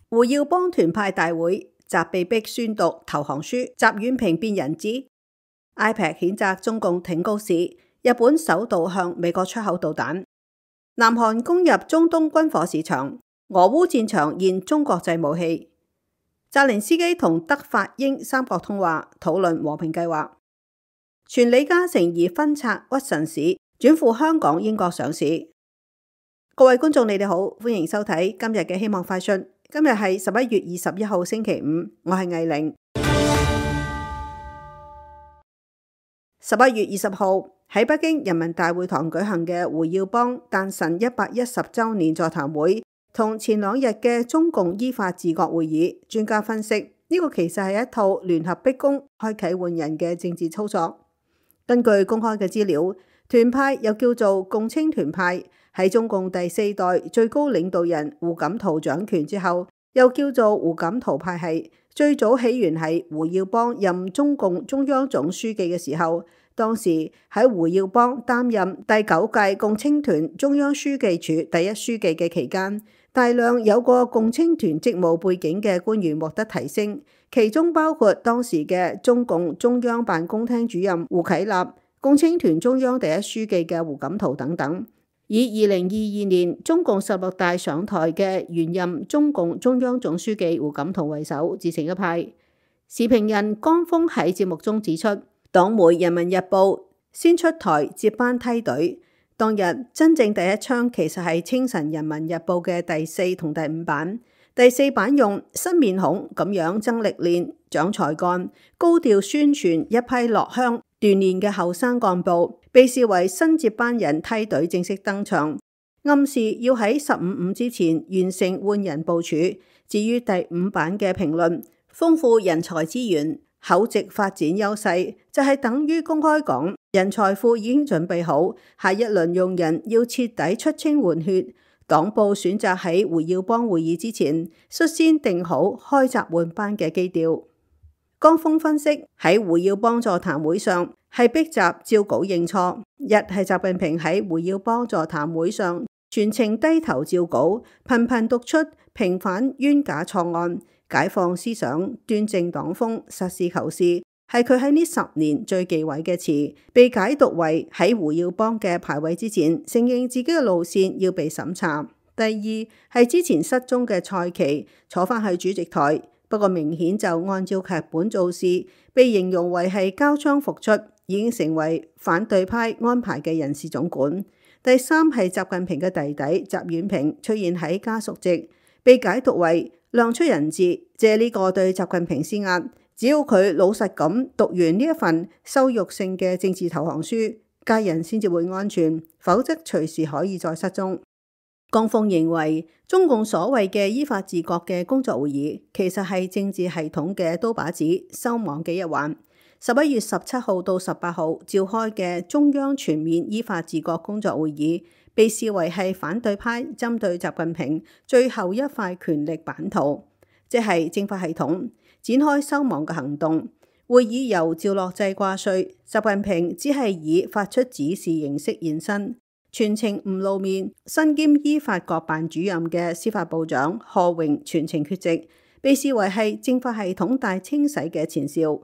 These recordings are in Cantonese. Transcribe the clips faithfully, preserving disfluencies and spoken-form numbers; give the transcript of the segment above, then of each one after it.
胡耀邦團派大會，習被逼宣讀投降書，習遠平變人質。I P E C 譴責中共挺高市，日本首度向美國出口導彈。南韓攻入中東軍火市場，俄烏戰場現中國製武器。澤連斯基同德法英三國通話，討論和平計劃。傳李嘉誠擬分拆屈臣氏，轉赴香港、英國上市。各位觀眾，你哋好，歡迎收睇今日嘅希望快訊。今日係十一月二十一號星期五，我係藝玲。十一月二十號喺北京人民大會堂舉行嘅胡耀邦誕辰一百一十週年座談會，同前兩日嘅中共依法治國會議，專家分析呢個其實係一套聯合逼宮、開啟換人嘅政治操作。根據公開嘅資料，團派又叫做共青團派，喺中共第四代最高領導人胡錦濤掌權之後，又叫做胡錦濤派系。最早起源係胡耀邦任中共中央總書記嘅時候，當時喺胡耀邦擔任第九屆共青團中央書記處第一書記嘅期間，大量有過共青團職務背景嘅官員獲得提升，其中包括當時嘅中共中央辦公廳主任胡啟立、共青團中央第一書記嘅胡錦濤等等。以二零二二年中共十六大上台嘅原任中共中央總書記胡錦濤為首，自成一派。時評人江峰喺節目中指出，黨媒《人民日報》先出台接班梯隊，當日真正第一槍其實係清晨《人民日報》嘅第四同第五版。第四版用新面孔咁樣增歷練、長才幹，高調宣傳一批落鄉鍛鍊嘅後生幹部，被視為新接班人梯隊正式登場，暗示要喺十五五之前完成換人部署。至於第五版嘅評論，豐富人才資源、厚植發展優勢，就係、是、等於公開講人才庫已經準備好，下一輪用人要徹底出清換血。黨部選擇喺胡耀邦會議之前，率先定好開閘換班嘅基調。江峰分析，喺胡耀邦座談會上係逼習照稿認錯，一係習近平喺胡耀邦座談會上全程低頭照稿，頻頻讀出平反冤假錯案、解放思想、端正黨風、實事求是，係佢喺呢十年最忌諱嘅詞，被解讀為喺胡耀邦嘅排位之前，承認自己嘅路線要被審查。第二係之前失蹤嘅蔡奇坐返去主席台，不過明顯就按照劇本做事，被形容為係交槍復出，已經成為反對派安排嘅人事總管。第三係習近平嘅弟弟習遠平出現喺家屬席，被解讀為亮出人質，借呢個對習近平施壓。只要佢老實咁讀完呢一份羞辱性嘅政治投降書，家人先至會安全，否則隨時可以再失蹤。江峰認為，中共所謂嘅依法治國嘅工作會議，其實係政治系統嘅刀把子、收網嘅一環。十一月十七號到十八號召開嘅中央全面依法治國工作會議，被視為係反對派針對習近平最後一塊權力版圖，即係政法系統展開收網嘅行動。會議由趙樂際掛帥，習近平只係以發出指示形式現身，全程唔露面。身兼依法國辦主任嘅司法部長賀榮全程缺席，被視為係政法系統大清洗嘅前兆。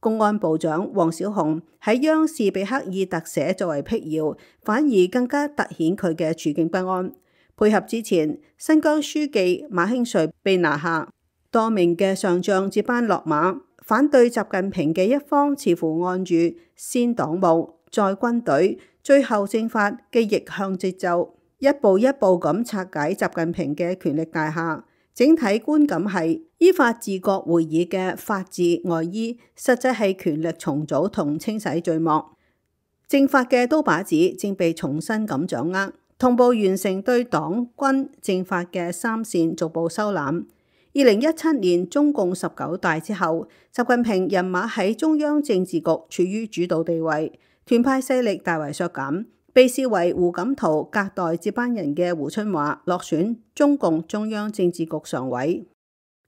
公安部長王小洪喺央視被刻意特寫作為辟謠，反而更加凸顯佢嘅處境不安。配合之前，新疆書記馬興瑞被拿下，多名嘅上將接班落馬，反對習近平嘅一方似乎按住先黨務再軍隊最後政法嘅逆向節奏，一步一步咁拆解習近平嘅權力大廈。整體觀感係依法治國會議嘅法治外衣，實際係權力重組同清洗序幕。政法嘅刀把子正被重新咁掌握，同步完成對黨軍政法嘅三線逐步收攬。二零一七年中共十九大之後，習近平人馬喺中央政治局處於主導地位，團派勢力大為削減。被視為胡錦濤隔代接班人嘅胡春華落選中共中央政治局常委。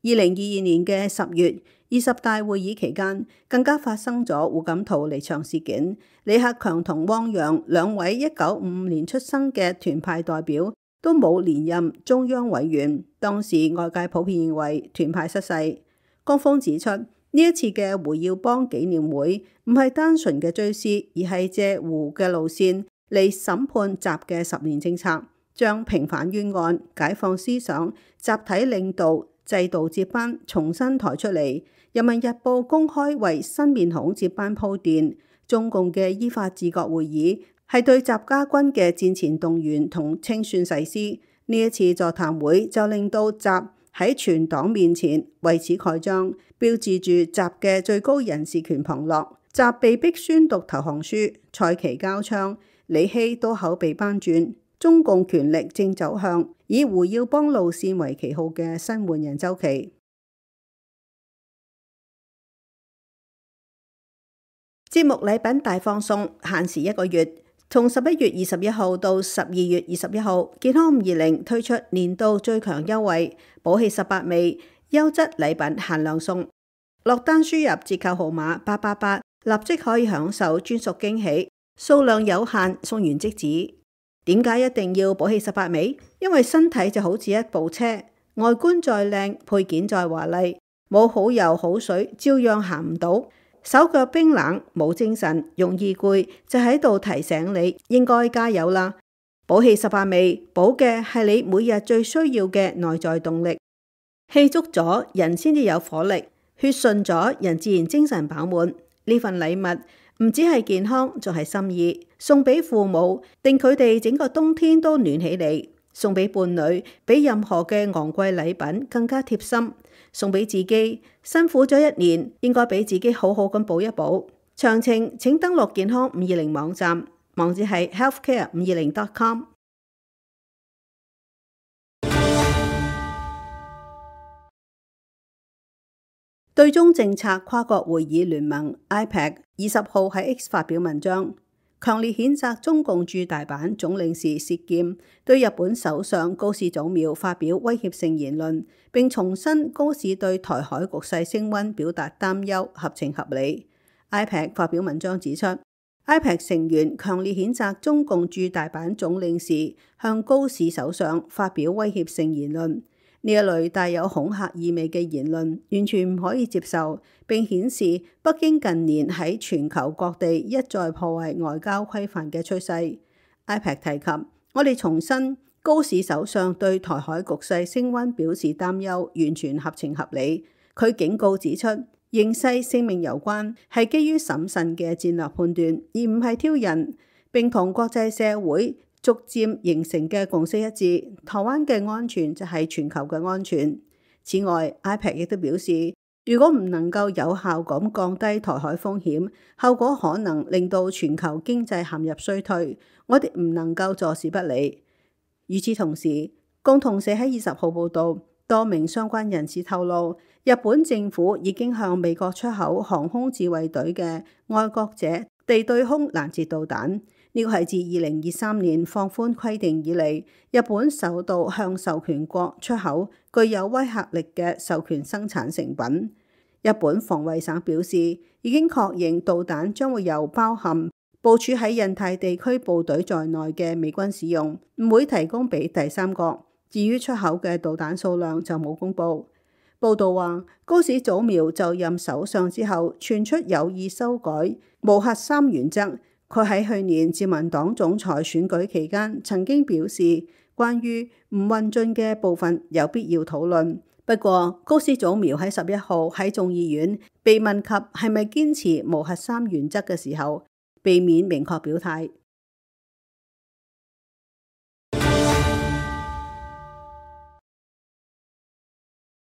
二零二二年嘅十月，二十大會議期間，更加發生咗胡錦濤離場事件。李克強同汪洋兩位一九五五年出生嘅團派代表，都冇連任中央委員。當時外界普遍認為團派失勢。江峰指出，呢一次嘅胡耀邦紀念會唔係單純嘅追思，而係借胡嘅路線嚟審判習嘅十年政策，將平反冤案、解放思想、集體領導、制度接班重新抬出嚟。人民日報公開為新面孔接班鋪墊。中共嘅依法治國會議係對習家軍嘅戰前動員同清算誓師。呢一次座談會就令到習喺全黨面前為此蓋章，標誌住習嘅最高人事權旁落。習被逼宣讀投降書，蔡奇交槍，李希都口被扳轉。中共權力正走向以胡耀邦路線為旗號嘅新換人周期。節目禮品大放送，限時一個月，從十一月二十一號到十二月二十一號，健康五二零推出年度最強優惠，寶氣十八味優質禮品限量送。落單輸入折扣號碼八八八，立即可以享受專屬驚喜，數量有限，送完即止。點解一定要寶氣十八味？因為身體就好似一部車，外觀再靚，配件再華麗，冇好油好水，照樣行唔到。手腳冰冷，冇精神，容易攰，就喺度提醒你應該加油啦！寶氣十八味，補嘅係你每日最需要嘅內在動力。氣足咗，人先至有火力；血順咗，人自然精神飽滿。呢份禮物唔只係健康，仲係心意。送俾父母，令佢哋整個冬天都暖起嚟；送俾伴侶，比任何嘅昂貴禮品更加貼心。送俾自己，辛苦咗一年，應該俾自己好好咁補一補。詳情請登錄健康五二零網站，網址係 healthcare 五二零 dot com。對中政策跨國會議聯盟 I P E C 二十號喺 X 發表文章，強烈譴責中共駐大阪總領事涉劍，對日本首相高市早苗發表威脅性言論，並重申高市對台海局勢升溫表達擔憂，合情合理。I P E C 發表文章指出， I P E C 成員強烈譴責中共駐大阪總領事向高市首相發表威脅性言論。呢一類帶有恐嚇意味嘅言論完全唔可以接受，並顯示北京近年喺全球各地一再破壞外交規範嘅趨勢。I P E C 提及，我哋重申高市首相對台海局勢升溫表示擔憂，完全合情合理。佢警告指出，形勢性命攸關，係基於審慎嘅戰略判斷，而唔係挑釁，並同國際社會逐漸形成嘅共識一致，台灣嘅安全就係全球嘅安全。此外 ，I P E C 亦都表示，如果唔能夠有效咁降低台海風險，後果可能令到全球經濟陷入衰退，我哋唔能夠坐視不理。與此同時，共同社喺二十號報道，多名相關人士透露，日本政府已經向美國出口航空自衛隊嘅愛國者地對空攔截導彈。呢個係自二零二三年放寬規定以嚟，日本首度向授權國出口具有威嚇力嘅授權生產成品。日本防衛省表示，已經確認導彈將會由包含部署喺印太地區部隊在內嘅美軍使用，唔會提供俾第三國。至於出口嘅導彈數量就冇公布。報道話，高市早苗就任首相之後，傳出有意修改無核三原則。佢喺去年自民黨總裁選舉期間曾經表示，關於唔運進嘅部分有必要討論。不過，高市早苗喺十一號喺眾議院被問及係咪堅持無核三原則嘅時候，避免明確表態。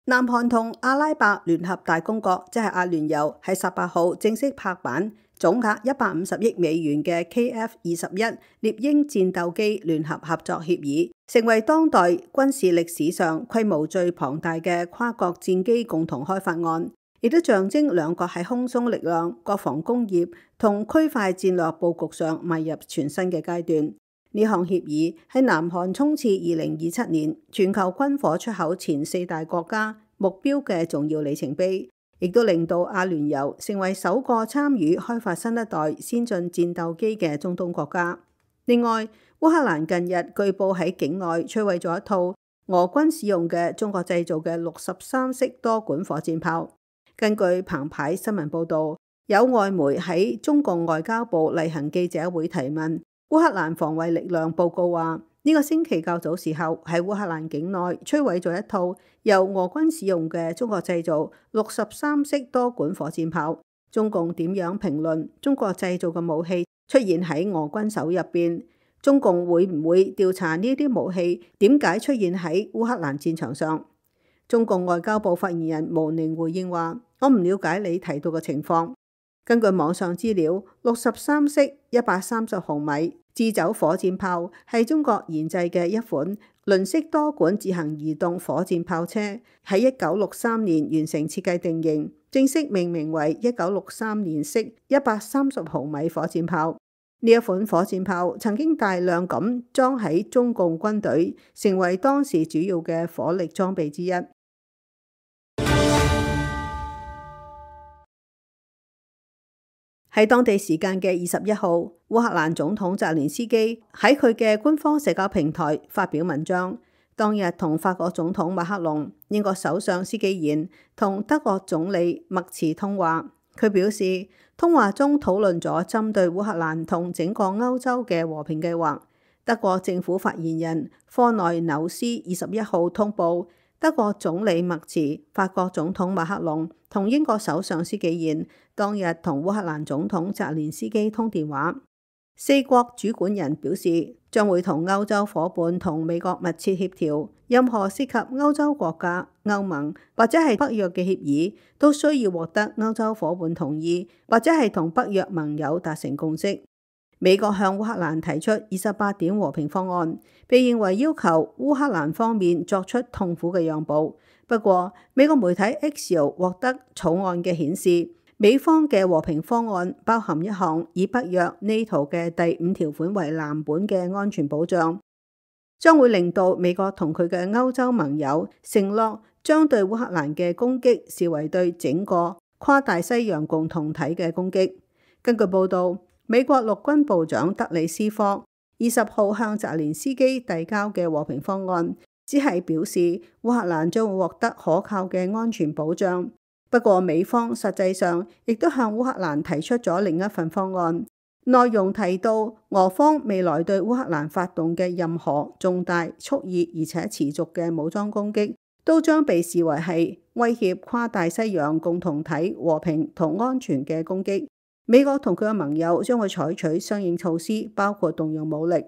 南韓同阿拉伯聯合大公國，即係阿聯酋，喺十八號正式拍板，總額一百五十億美元嘅 K F 二十一獵鷹戰鬥機聯合合作協議，成為當代軍事歷史上規模最龐大嘅跨國戰機共同開發案，亦都象徵兩國喺空中力量、國防工業同區塊戰略佈局上邁入全新嘅階段。呢項協議係南韓衝刺二零二七年全球軍火出口前四大國家目標嘅重要里程碑，亦都令到阿聯酋成為首個參與開發新一代先進戰鬥機嘅中東國家。另外，烏克蘭近日據報喺境內摧毀咗一套俄軍使用嘅中國製造嘅六十三式多管火箭炮。根據澎湃新聞報導，有外媒喺中共外交部例行記者會提問，烏克蘭防衛力量報告話，呢個星期較早時候喺烏克蘭境內摧毀咗一套由俄軍使用嘅中國製造六十三式多管火箭炮。中共點樣評論中國製造嘅武器出現喺俄軍手入邊？中共會唔會調查呢啲武器點解出現喺烏克蘭戰場上？中共外交部發言人毛寧回應話：我唔了解你提到嘅情況。根據網上資料，六十三式一百三十毫米自走火箭炮係中國研製嘅一款輪式多管自行移動火箭炮車，喺一九六三年完成設計定型，正式命名為一九六三年式一百三十毫米火箭炮。呢一款火箭炮曾經大量咁裝喺中共軍隊，成為當時主要嘅火力裝備之一。喺當地時間嘅二十一號，烏克蘭總統澤連斯基喺佢嘅官方社交平台發表文章，當日同法國總統馬克龍、英國首相施紀賢同德國總理默茨通話。佢表示，通話中討論咗針對烏克蘭同整個歐洲嘅和平計劃。德國政府發言人科內紐斯二十一號通報，德國總理默茨、法國總統馬克龍同英國首相施紀賢當日同烏克蘭總統澤連斯基通電話。四國主管人表示，將會同歐洲夥伴同美國密切協調，任何涉及歐洲國家、歐盟或者係北約嘅協議，都需要獲得歐洲夥伴同意，或者係同北約盟友達成共識。美國向烏克蘭提出二十八點和平方案，被認為要求烏克蘭方面作出痛苦嘅讓步。不過，美國媒體 Axios 獲得草案嘅顯示，美方嘅和平方案包含一項以北約 NATO 嘅第五條款為藍本嘅安全保障，將會令到美國同佢嘅歐洲盟友承諾將對烏克蘭嘅攻擊視為對整個跨大西洋共同體嘅攻擊。根據報導，美國陸軍部長德里斯科二十號向澤連斯基遞交嘅和平方案，只係表示烏克蘭將會獲得可靠嘅安全保障。不過美方實際上亦都向烏克蘭提出咗另一份方案，內容提到俄方未來對烏克蘭發動嘅任何重大、蓄意而且持續嘅武裝攻擊，都將被視為係威脅跨大西洋共同體和平同安全嘅攻擊。美國同佢嘅盟友將會採取相應措施，包括動用武力。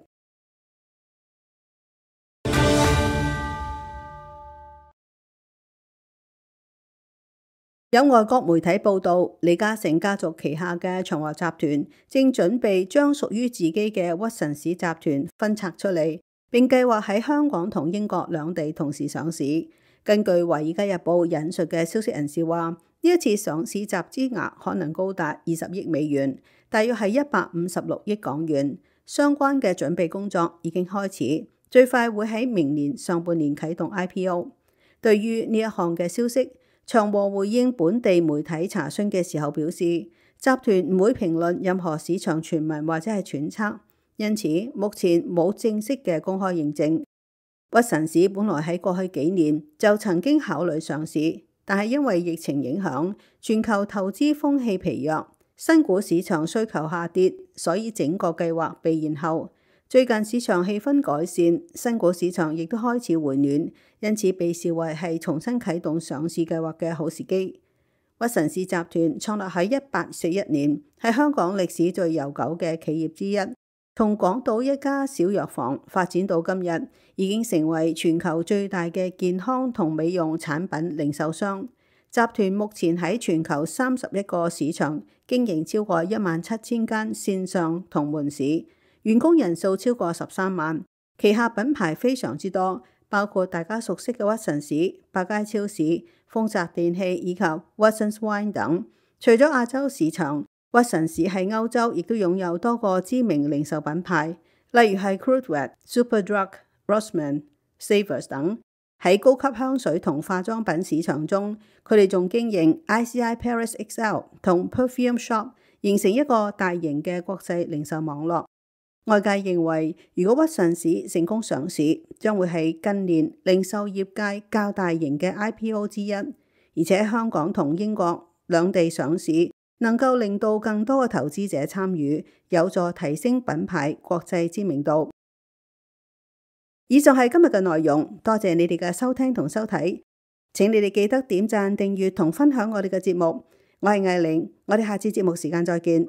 有外國媒體報道，李嘉誠家族旗下嘅長和集團正準備將屬於自己嘅屈臣氏集團分拆出嚟，並計劃喺香港同英國兩地同時上市。根據《華爾街日報》引述嘅消息人士話，呢一次上市集資額可能高達二十億美元，大約係一百五十六億港元。相關嘅準備工作已經開始，最快會喺明年上半年啟動 I P O。對於呢一項嘅消息，長和回應本地媒體查詢嘅時候表示，集團唔會評論任何市場傳聞或者係揣測，因此目前冇正式嘅公開認證。屈臣氏本來喺過去幾年就曾經考慮上市，但係因為疫情影響，全球投資風氣疲弱，新股市場需求下跌，所以整個計劃被延後。最近市場氣氛改善，新股市場亦都開始回暖，因此被視為係重新啟動上市計劃嘅好時機。屈臣氏集團創立喺一八四一年，係香港歷史最悠久嘅企業之一，從港島一家小藥房發展到今日，已經成為全球最大嘅健康同美容產品零售商。集團目前喺全球三十一個市場經營超過一萬七千間線上同門市，員工人數超過十三萬，旗下品牌非常之多，包括大家熟悉嘅屈臣氏、百佳超市、豐澤電器以及 Watsons Wine 等。除咗亞洲市場，屈臣氏喺歐洲亦都擁有多個知名零售品牌，例如係 Superdrug、Superdrug、Rossmann、Savers 等。喺高級香水同化妝品市場中，佢哋仲經營 I C I Paris X L 同 Perfume Shop， 形成一個大型嘅國際零售網絡。外界認為，如果屈臣氏成功上市，將會係近年零售業界較大型嘅 I P O 之一，而且香港同英國兩地上市，能夠令到更多嘅投資者參與，有助提升品牌國際知名度。以上係今日嘅內容，多謝你哋嘅收聽同收睇，請你哋記得點讚、訂閱同分享我哋嘅節目。我係艾玲，我哋下次節目時間再見。